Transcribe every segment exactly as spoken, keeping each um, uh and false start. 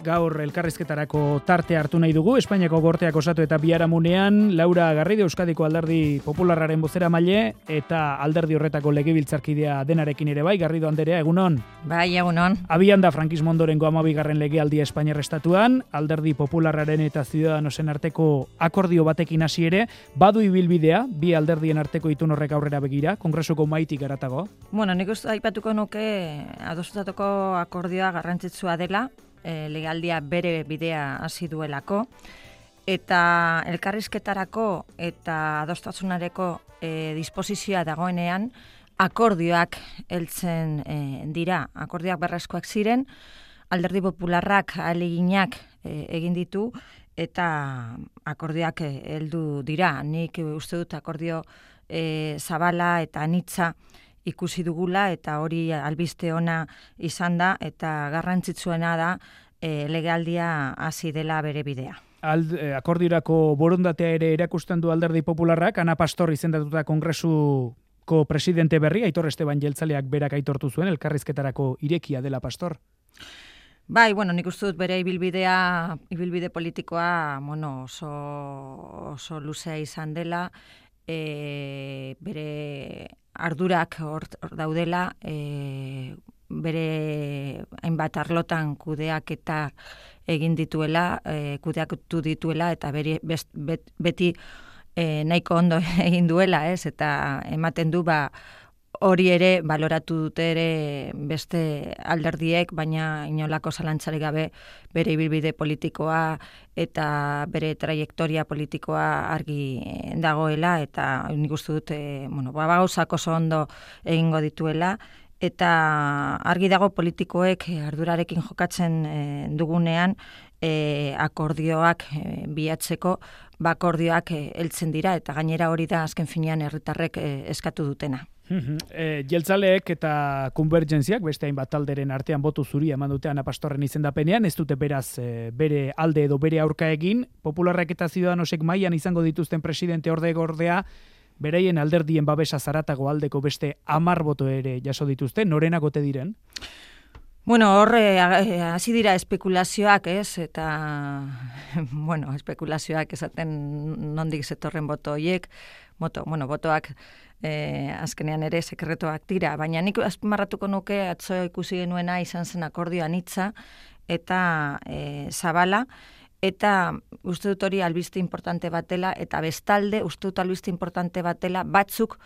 Gaur elkarrizketarako tarte hartu nahi dugu, Espainiako Gorteak osatu eta biharamunean Laura Garrido Euskadiko Alderdi Popularraren bozeramaile eta alderdi horretako legebiltzarkidea denarekin ere bai. Garrido anderea, egunon? Bai, egunon. Abian da frankismo ondorengo hamabigarren legealdia Espainiar Estatuan, Alderdi Popularraren eta Ciudadanosen arteko akordio batekin hasi ere, badu ibilbidea, bi alderdien arteko itun horrek aurrera begira, kongresuko maitik garatago? Bueno, nik uste aipatuko nuke adostutako akordioa garrantzitsua dela, E, legaldia bere bidea hasi duelako, eta elkarrizketarako eta adostasunareko e, disposizioa dagoenean akordioak heltzen e, dira. Akordioak berrezkoak ziren, Alderdi Popularrak ahaleginak e, egin ditu eta akordioak e, heldu dira. Nik uste dut akordio e, zabala eta anitza ikusi dugula eta hori albiste ona izan da eta garrantzitsuena da e, legealdia hasi dela bere bidea. Ald, eh, akordiorako borondatea ere erakusten du Alderdi Popularrak, Ana Pastor izendatuta kongresuko presidente berri, Aitor Esteban Jeltzaleak berak aitortu zuen, elkarrizketarako irekia dela Pastor. Bai, bueno, nik uste dut bere ibilbidea, ibilbide politikoa, bueno, oso, oso luzea izan dela, e, bere ardurak hor daudela, e, bere hainbat arlotan kudeak eta egin dituela, e, kudeaktu dituela eta bere best, bet, beti e, nahiko ondo egin duela, ez? Eta ematen du ba hori ere baloratu dute ere beste alderdiek, baina inolako zalantzarik gabe bere ibilbide politikoa eta bere trajektoria politikoa argi dagoela, eta nik uste dut e, bueno, ba, gauzak oso ondo egingo dituela, eta argi dago politikoek ardurarekin jokatzen e, dugunean e, akordioak e, bilatzeko, ba akordioak e, heltzen dira, eta gainera hori da azken finean herritarrek e, eskatu dutena. E, Jeltzaleek eta Konvergentziak beste hainbat talderen artean botu zuri eman dute Ana Pastorren izendapenean, ez dute beraz e, bere alde edo bere aurka egin. Popularrak eta Ciudadanosek mailan izango dituzten presidente orde gordea, beraien alderdien babesa zaratago aldeko beste hamar boto ere jaso dituzte, norenak ote diren? Bueno, horre hasi dira espekulazioak, ez? Eta bueno, espekulazioak esaten nondik zetorren boto horiek, boto, bueno, botoak E, azkenean ere sekretuak dira, baina nik azpimarratuko nuke atzo ikusi genuena izan zen akordio anitza eta e, zabala, eta uste dut hori albiste importante batela, eta bestalde uste dut albiste importante batela batzuk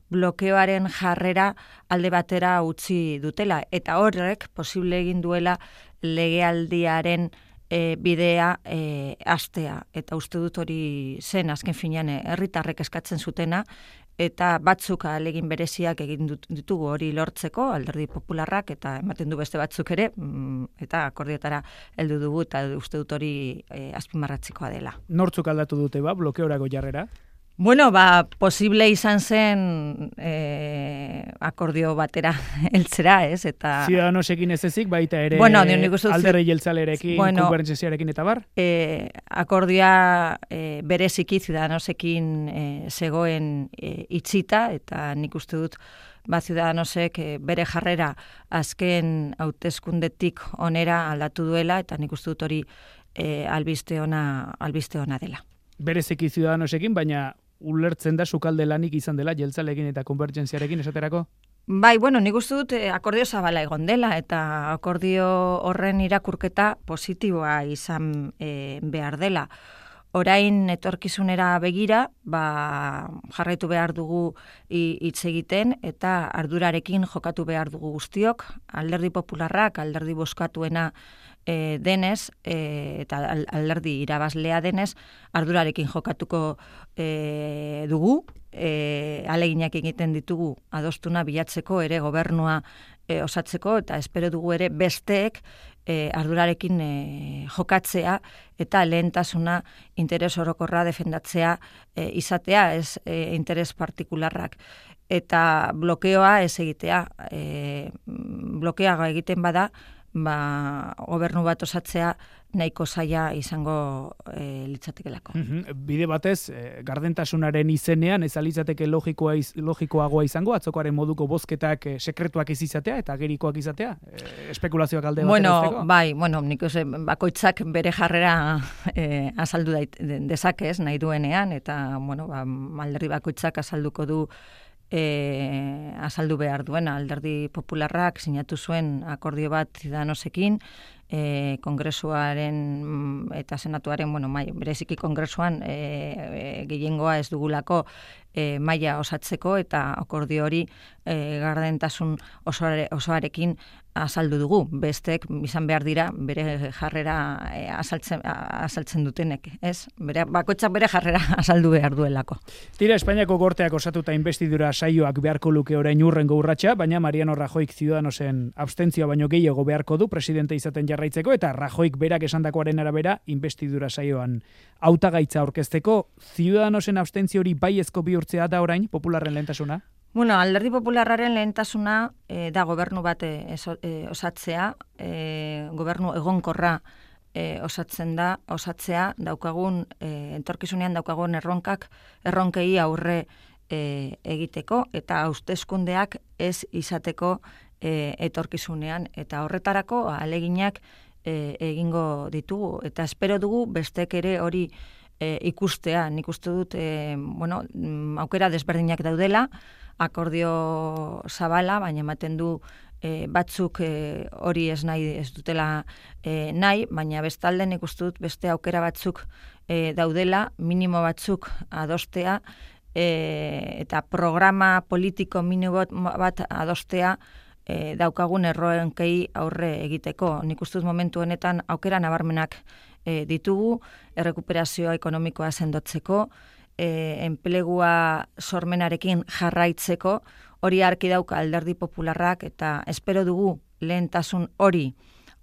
blokeoaren jarrera alde batera utzi dutela, eta horrek posible egin duela legealdiaren E, bidea e, astea, eta uste dut hori zen azken finean herritarrek eskatzen zutena, eta batzuk ahalegin bereziak egin ditugu hori lortzeko, Alderdi Popularrak, eta ematen du beste batzuk ere, eta akordioetara heldu dugu, eta uste dut hori e, azpimarratzikoa dela. Nortzuk aldatu dute ba, blokeorako jarrera? Bueno, ba, posible izan zen e, akordio batera heltzera, ez? Eta Ciudadanosekin ez ezik, baita ere bueno, Alderdi Jeltzalerekin, bueno, Konvergentziarekin eta bar? E, akordioa e, bereziki Ciudadanosekin e, zegoen e, itxita, eta nik uste dut ba, Ciudadanosek e, bere jarrera azken hauteskundetik onera aldatu duela, eta nik uste dut hori e, albiste ona, albiste ona dela. Bereziki Ciudadanosekin, baina ulertzen da sukalde lanik izan dela Jeltzaleekin eta Konvergentziarekin esaterako? Bai, bueno, nik uste dut akordio zabala egon dela, eta akordio horren irakurketa positiboa izan e, behar dela. Orain etorkizunera begira, ba, jarraitu behar dugu hitz egiten, eta ardurarekin jokatu behar dugu guztiok, Alderdi Popularrak, alderdi bozkatuena e, denez, e, eta alderdi irabazlea denez, ardurarekin jokatuko e, dugu, e, aleginak egiten ditugu adostuna bilatzeko ere gobernua e, osatzeko, eta espero dugu ere besteek e, ardurarekin e, jokatzea, eta lehentasuna interes orokorra defendatzea e, izatea, ez e, interes partikularrak. Eta blokeoa ez egitea, e, blokeaga egiten bada, ba, gobernu bat osatzea nahiko zaila izango e, litzatekelako. Mm-hmm. Bide batez, e, gardentasunaren izenean, ez alitzateke logikoa iz, logikoagoa izango, atzokoaren moduko bozketak e, sekretuak ez izatea eta agerikoak izatea? E, espekulazioak alde bat bueno, erazteko? Bai, bueno, nik uste, bakoitzak bere jarrera e, azaldu dait, dezakez nahi duenean, eta bueno, ba, alderdi bakoitzak azalduko du E, azaldu behar duena. Alderdi Popularrak sinatu zuen akordio bat Ciudadanosekin, e, Kongresuaren eta Senatuaren, bueno, mai, bereziki Kongresuan e, e, gehiengoa ez dugulako e, maila osatzeko, eta akordio hori e, gardentasun osoare, osoarekin azaldu dugu. Bestek izan behar dira bere jarrera e, azaltzen, azaltzen dutenek, ez? Bere, bakoitzak bere jarrera azaldu behar duelako. Tira, Espainiako gorteak osatuta inbestidura saioak beharko luke orain urrengo urratsa, baina Mariano Rajoyk Ciudadanosen abstentzioa baino gehiago beharko du presidente izaten jarraitzeko, eta Rajoyk berak esandakoaren arabera inbestidura saioan hautagaitza aurkezteko. Ciudadanosen abstentzio hori baiezko bihurtzea da orain Popularren lehentasuna? Bueno, Alderdi Popularraren lehentasuna e, da gobernu bat e, e, osatzea, e, gobernu egonkorra e, osatzen da, osatzea daukagun, e, entorkizunean daukagun erronkak, erronkei aurre e, egiteko, eta hauteskundeak ez izateko e, etorkizunean, eta horretarako aleginak e, egingo ditugu, eta espero dugu bestek ere hori e, ikustea. Nik uste dut, e, bueno, aukera desberdinak daudela, akordio zabala, baina ematen du e, batzuk e, hori ez nahi ez dutela e, nahi, baina bestalde nik uste dut beste aukera batzuk e, daudela, minimo batzuk adostea, e, eta programa politiko minimo bat adostea e, daukagun erroenkei aurre egiteko. Nik uste dut momentu honetan aukera nabarmenak e, ditugu, errekuperazioa ekonomikoa sendotzeko, E, enplegua sormenarekin jarraitzeko, hori arki dauka Alderdi Popularrak, eta espero dugu lehentasun hori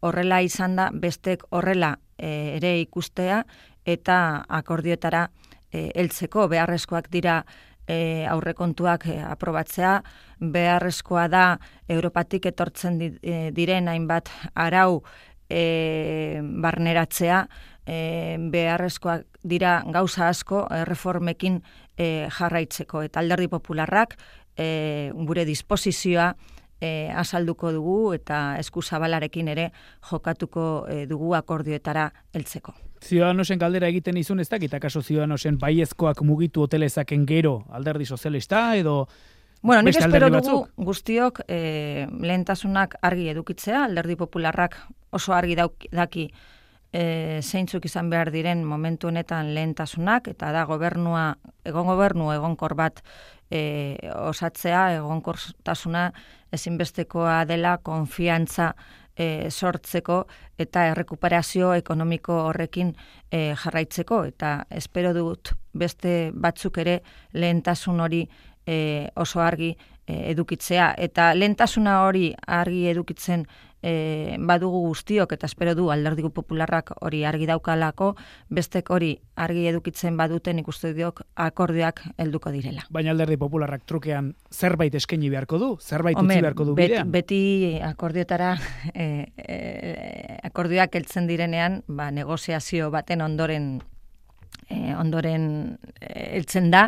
horrela izan da, bestek horrela e, ere ikustea, eta akordioetara e, heltzeko beharrezkoak dira e, aurrekontuak e, aprobatzea, beharrezkoa da Europatik etortzen di, e, diren hainbat arau e, barneratzea, E, beharrezkoak dira gauza asko erreformekin e, jarraitzeko, eta Alderdi Popularrak e, gure disposizioa e, azalduko dugu, eta eskuzabalarekin ere jokatuko e, dugu akordioetara heltzeko. Ciudadanosen galdera egiten izun ez dakit, akaso Ciudadanosen baiezkoak mugitu hotelezaken gero Alderdi Sozialista edo Bueno, nik espero dugu batzuk? Guztiok e, lehentasunak argi edukitzea, Alderdi Popularrak oso argi dauk, daki E, zeintzuk izan behar diren momentu honetan lehentasunak, eta da gobernua, egon gobernu egonkor bat e, osatzea, egonkortasuna ezinbestekoa dela konfiantza e, sortzeko eta errekuperazio ekonomiko horrekin e, jarraitzeko, eta espero dut beste batzuk ere lehentasun hori e, oso argi e, edukitzea, eta lehentasuna hori argi edukitzen E, badugu guztiok, eta espero du Alderdi Popularrak hori argi daukalako, bestek hori argi edukitzen baduten ikuste diok akordioak helduko direla. Baina Alderdi Popularrak trukean zerbait eskaini beharko du, zerbait utzi beharko du bidean. Beti, beti akordioetara e, e, akordioak heltzen direnean, ba, negoziazio baten ondoren e, ondoren heltzen da,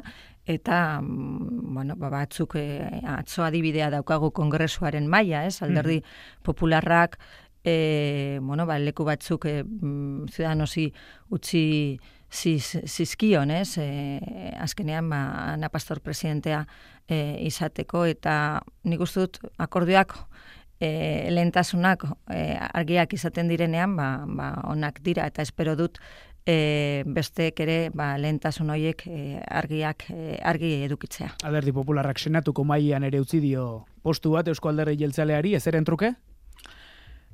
eta bueno, batzuk e, atzo adibidea daukagu Kongresuaren maila, ez? Alderdi Popularrak e, bueno, ba, leku batzuk e, Ciudadanosi utzi ziz, zizkion, ez? E, azkenean ba, Ana Pastor presidentea e, izateko, eta nik uste dut akordioak E, lehentasunak e, argiak izaten direnean, ba, ba, onak dira, eta espero dut e, besteek ere ba, lehentasun horiek e, argiak e, argi edukitzea. Alderdi Popularrak senatuko mailan ere utzi dio postu bat Eusko Alderdi Jeltzaleari, ezeren truke?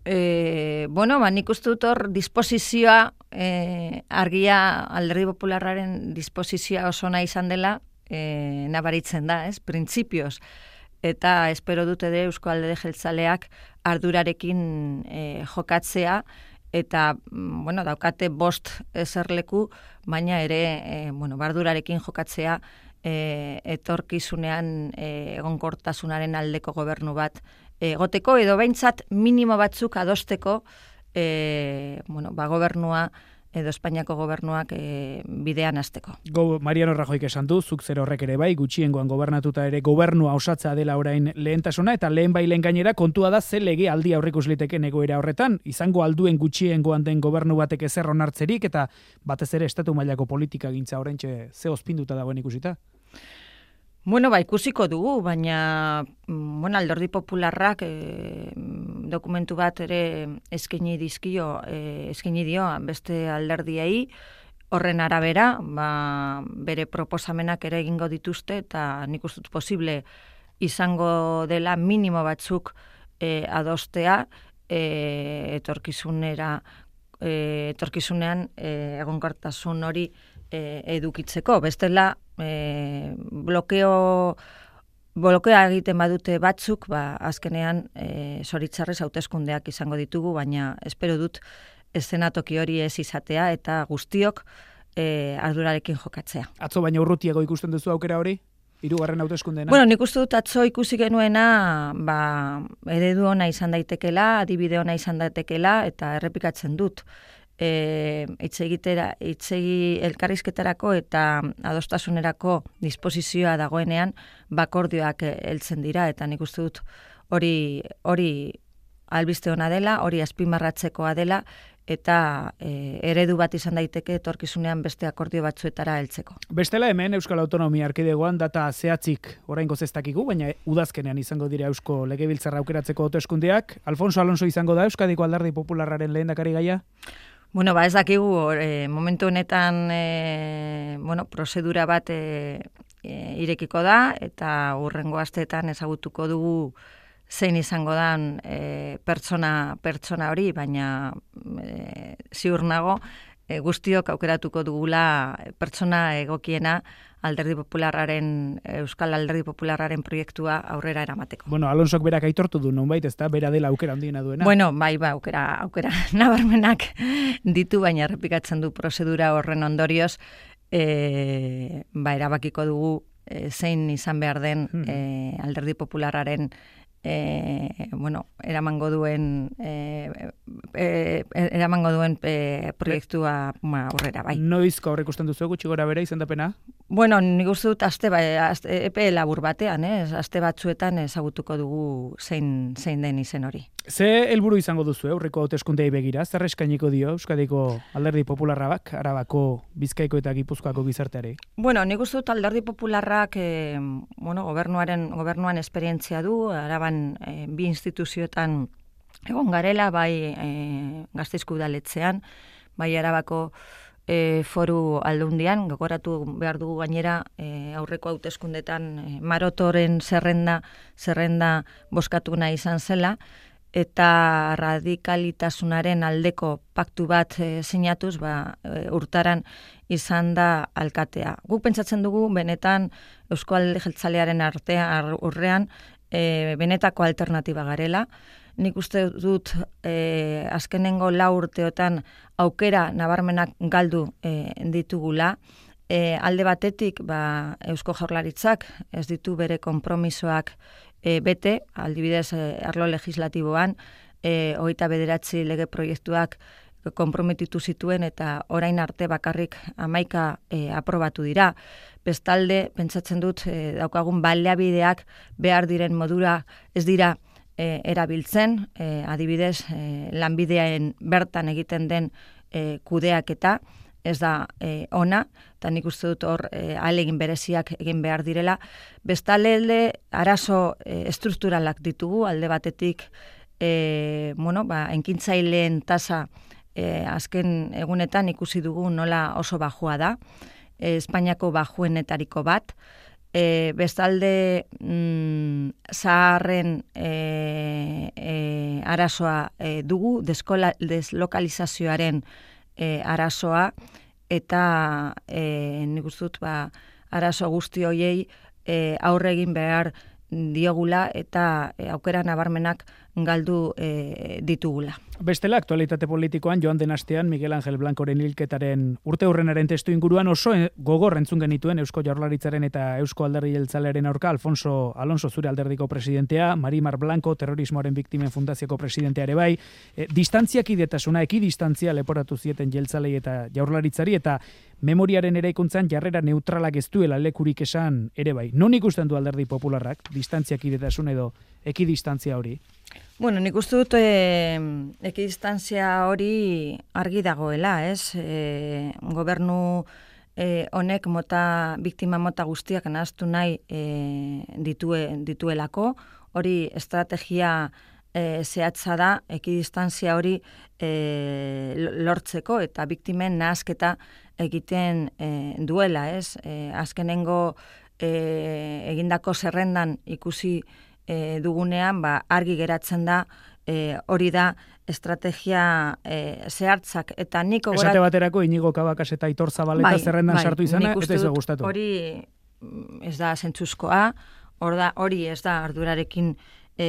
E, bueno, ba, nik uste dut hor disposizioa, e, argia Alderdi Popularraren disposizioa oso nahi izan dela, e, nabaritzen da, ez? Printzipioz. Eta espero dute de Eusko Alderdi Jeltzaleak ardurarekin e, jokatzea, eta bueno, daukate bost eserleku, baina ere e, bueno, ardurarekin jokatzea e, etorkizunean e, egonkortasunaren aldeko gobernu bat egoteko edo behintzat minimo batzuk adosteko e, bueno, ba, gobernua edo Espainiako gobernuak e, bidean hasteko. Go, Mariano Rajoyk esan du, zuk zer horrek ere bai, gutxiengoan gobernatuta ere gobernua osatza dela orain lehentasuna, eta lehen bai lehen gainera kontua da ze lege aldi aurreikus liteken egoera horretan, izango alduen gutxiengoan den gobernu batek ezer onartzerik, eta batez ere estatu mailako politika gintza oraintxe ze ospinduta dagoen ikusita? Bueno, ba, ikusiko dugu, baina bueno, Alderdi Popularrak e, dokumentu bat ere eskaini dizkio, e, eskaini dio beste alderdiei, horren arabera, ba, bere proposamenak ere egingo dituzte, eta nik uste dut posible izango dela minimo batzuk e, adostea, e, etorkizunera, e, etorkizunean e, egonkortasun hori e, edukitzeko. Bestela, E, blokeo blokea egiten badute batzuk, ba, azkenean e, zoritzarrez hauteskundeak izango ditugu, baina espero dut eszenatoki hori ez izatea eta guztiok e, ardurarekin jokatzea. Atzo baina urrutiago ikusten duzu aukera hori? Hirugarren hauteskundeena? Bueno, nik uste dut atzo ikusi genuena, ba, eredu ona izan daitekela, adibide ona izan daitekela, eta errepikatzen dut. E, itzegitera, itzegi elkarrizketarako eta adostasunerako disposizioa dagoenean bakordioak heltzen dira, eta nik uste dut hori hori albiste ona dela, hori azpimarratzekoa dela, eta e, eredu bat izan daiteke etorkizunean beste akordio batzuetara heltzeko. Bestela hemen Euskal Autonomia Erkidegoan data zehatzik oraingoz ez dakigu, baina udazkenean izango dira Eusko Legebiltzarra aukeratzeko hauteskundeak. Alfonso Alonso izango da Euskadiko Alderdi Popularraren lehendakari gaia? Bueno, ba ez dakigu, e, momentu honetan e, bueno, prozedura bat e, e, irekiko da, eta hurrengo asteetan ezagutuko dugu zein izango dan e, pertsona, pertsona hori, baina e, ziur nago e, guztiok aukeratuko dugula pertsona egokiena Alderdi Popularraren, Euskal Alderdi Popularraren proiektua aurrera eramateko. Bueno, Alonsok berak aitortu du nonbait, ezta, bera dela aukera handiena duena. Bueno, bai, ba, aukera, aukera nabarmenak ditu, baina errepikatzen du prozedura horren ondorioz, e, ba, erabakiko dugu e, zein izan behar den hmm. e, Alderdi Popularraren E, bueno, eramango duen e, e, eramango duen e, proiektua ma, aurrera, bai. Noizko aurre ikusten duzu gutxi gora bere izendapena? Bueno, nik uste dut aste, ba, aste, epe labur batean, eh? aste batzuetan ezagutuko dugu zein, zein den izen hori. Ze helburu izango duzu aurreko hauteskundei begira? Zer eskainiko dio Euskadiko Alderdi Popularrak, Arabako, Bizkaiko eta Gipuzkoako gizarteari? Bueno, nik uste dut Alderdi Popularrak eh, bueno, gobernuaren gobernuan esperientzia du, Araban eh, bi instituzioetan egon garela, bai eh, Gasteizko udaletzean, bai Arabako E, foru aldundian, gogoratu behar dugu gainera e, aurreko hauteskundetan e, Marotoren zerrenda zerrenda boskatuna izan zela, eta radikalitasunaren aldeko paktu bat e, sinatuz, ba, e, urtaran izan da alkatea. Guk pentsatzen dugu, benetan Eusko Alderdi Jeltzalearen artean urrean e, benetako alternatiba garela. Nik uste dut eh, azkenengo lau urteotan aukera nabarmenak galdu eh, ditugula. Eh, alde batetik, ba, Eusko Jaurlaritzak ez ditu bere konpromisoak eh, bete, aldibidez eh, arlo legislatiboan, eh, hogeita bederatzi lege proiektuak konprometitu zituen eta orain arte bakarrik hamaika eh, aprobatu dira. Bestalde, pentsatzen dut, eh, daukagun baliabideak behar diren modura ez dira E, erabiltzen, e, adibidez, e, lanbidean bertan egiten den e, kudeaketa, ez da e, ona, eta nik uste dut hor e, ahalegin bereziak egin behar direla. Bestalde, arazo e, estrukturalak ditugu, alde batetik, e, bueno, ba, enkintzaileen tasa e, azken egunetan ikusi dugu nola oso bajua da, e, Espainiako bajuenetariko bat. E, bestalde mm, zaharren e, e, arazoa e, dugu, deskola, deslokalizazioaren e, arazoa, eta e, nik uste dut ba, arazo guzti hoiei e, aurre egin behar diogula, eta e, aukera nabarmenak galdu e, ditugula. Bestela, aktualitate politikoan joan den astean Miguel Angel Blancoren hilketaren urte hurrenaren testu inguruan oso gogor entzun genituen Eusko Jaurlaritzaren eta Eusko Alderdi Jeltzalearen aurka Alfonso Alonso zure alderdiko presidentea, Marimar Blanco terrorismoaren biktimen fundazioko presidentea ere bai, e, distantziak idetasuna, ekidistantzia leporatu zieten Jeltzalei eta Jaurlaritzari eta memoriaren eraikuntzan jarrera neutralak ez duela lekurik esan ere bai. Non ikusten du Alderdi Popularrak distantziak idetasun edo ekidistantzia hori? Bueno, nik uste dut e, ekidistantzia hori argi dagoela, ez? E, gobernu e, honek mota, biktima mota guztiak nahaztu nahi e, ditue, dituelako, hori estrategia e, zehatza da, ekidistantzia hori e, lortzeko eta biktimen nahazketa egiten e, duela, ez? E, azkenengo e, egindako zerrendan ikusi E, dugunean, ba, argi geratzen da, e, hori da estrategia e, zehartzak. Eta niko Esate baterako, Inigo Kabakas eta Aitor Zabaleta bai, zerrendan bai, sartu izana, ez da gustatu. Hori ez da zentzuzkoa, hor da, hori ez da ardurarekin e,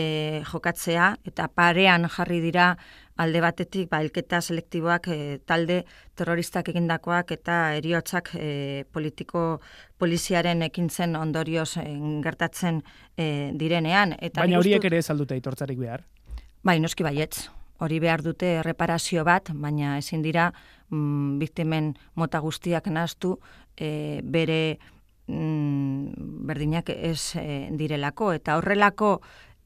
jokatzea, eta parean jarri dira alde batetik, ba, elketa selektiboak e, talde terroristak egindakoak eta heriotzak e, politiko poliziaren ekintzen ondorioz e, gertatzen e, direnean. Eta baina horiek ere ez aldute aitortzarik behar? Bai, noski baietz. Hori behar dute erreparazio bat, baina ezin dira mm, biktimen mota guztiak nahaztu e, bere mm, berdinak ez e, direlako. Eta horrelako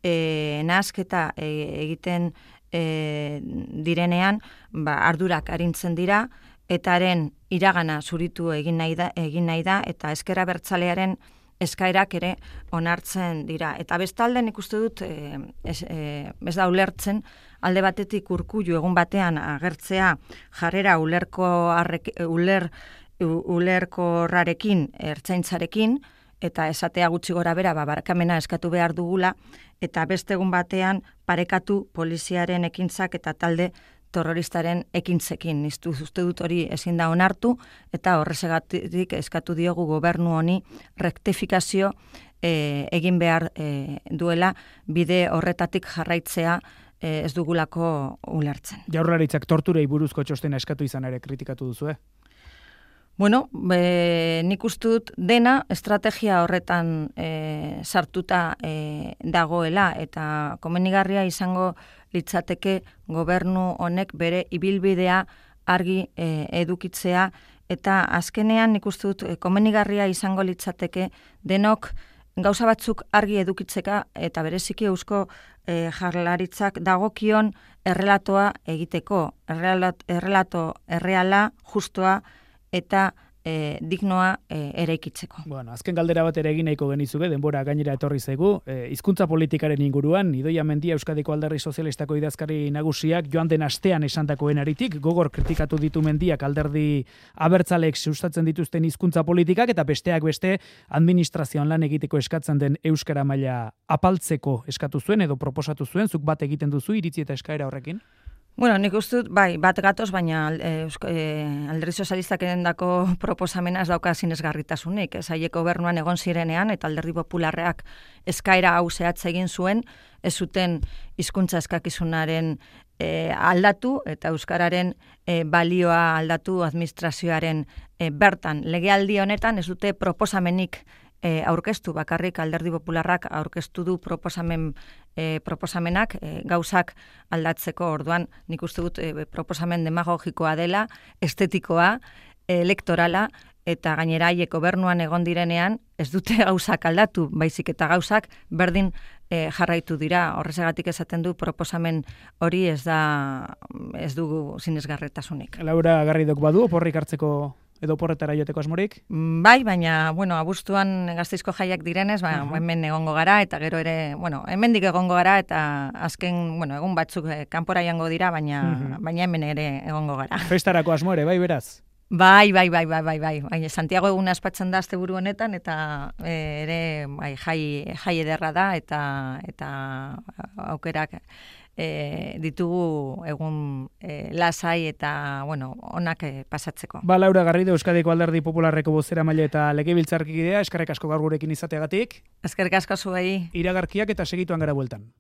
e, nahazketa e, egiten E, direnean, ba, ardurak arintzen dira, etaren iragana zuritu egin nahi da, egin nahi da eta ezker abertzalearen eskaerak ere onartzen dira. Eta bestalde nik uste dut e, ez, e, ez da ulertzen, alde batetik Urkullu egun batean agertzea jarrera ulerko arrek, uler, ulerkorrarekin, ertzaintzarekin, eta esatea gutxi gora bera, ba, barkamena eskatu behar dugula, eta beste egun batean parekatu poliziaren ekintzak eta talde terroristaren ekintzekin. Niztu uste dut hori ezin da onartu, eta horrezegatik eskatu diogu gobernu honi rektifikazio e, egin behar e, duela, bide horretatik jarraitzea e, ez dugulako ulertzen. Jaurlaritzak torturei buruzko txostena eskatu izan ere kritikatu duzu, eh? Bueno, be, nik uste dut dena estrategia horretan e, sartuta e, dagoela eta komenigarria izango litzateke gobernu honek bere ibilbidea argi e, edukitzea eta azkenean nik uste dut e, komenigarria izango litzateke denok gauza batzuk argi edukitzeka eta bereziki eusko e, Jaurlaritzak dagokion errelatoa egiteko, errelato, errelato erreala, justoa, eta e, dignoa e, eraikitzeko. Bueno, azken galdera bat ere egin nahiko genizuke, denbora gainera etorri zaigu, e, hizkuntza politikaren inguruan, Idoia Mendia Euskadiko Alderdi Sozialistako idazkari nagusiak joan den astean esandakoen aritik, gogor kritikatu ditu Mendiak alderdi abertzalek sustatzen dituzten hizkuntza politikak, eta besteak beste administrazioan lan egiteko eskatzen den euskara maila apaltzeko eskatu zuen, edo proposatu zuen, zuk bat egiten duzu iritzi eta eskaera horrekin? Bueno, nik uste dut, bai, bat gatoz, baina e, e, alderdi sozialistak edendako proposamena ez dauka sinesgarritasunik. Ez haiek gobernuan egon zirenean eta alderdi popularreak eskaera hau zehatza egin zuen, ez zuten hizkuntza eskakizunaren e, aldatu eta euskararen e, balioa aldatu administrazioaren e, bertan. Legealdi honetan ez dute proposamenik E, aurkeztu, bakarrik alderdi popularrak aurkeztu du proposamen, e, proposamenak e, gauzak aldatzeko. Orduan nik uste dut e, proposamen demagogikoa dela, estetikoa, e, elektorala, eta gainera haiek gobernuan egon direnean ez dute gauzak aldatu, baizik eta gauzak berdin e, jarraitu dira. Horrezagatik esaten du proposamen hori ez da ez dugu sinesgarretasunik. Laura Garridok badu oporrik hartzeko edo porretara joteko asmorik? Bai, baina, bueno, abuztuan Gasteizko jaiak direnez, ba, uh-huh. hemen egongo gara, eta gero ere, bueno, hemendik egongo gara, eta azken, bueno, egun batzuk eh, kanpora jango dira, baina, uh-huh. baina hemen ere egongo gara. Festarako asmo ere, bai, beraz? Bai, bai, bai, bai, bai, bai. Baina Santiago eguna aspatzen da asteburu honetan, eta e, ere, bai, jai, jai ederra da, eta, eta aukerak E, ditugu egun e, lasai eta, bueno, onak e, pasatzeko. Ba, Laura Garrido, Euskadiko Alderdi Popularreko bozeramaile eta legebiltzarkidea, eskerrik asko gaur gurekin izateagatik. Eskerrik asko zuei. Iragarkiak eta segituan gara bueltan.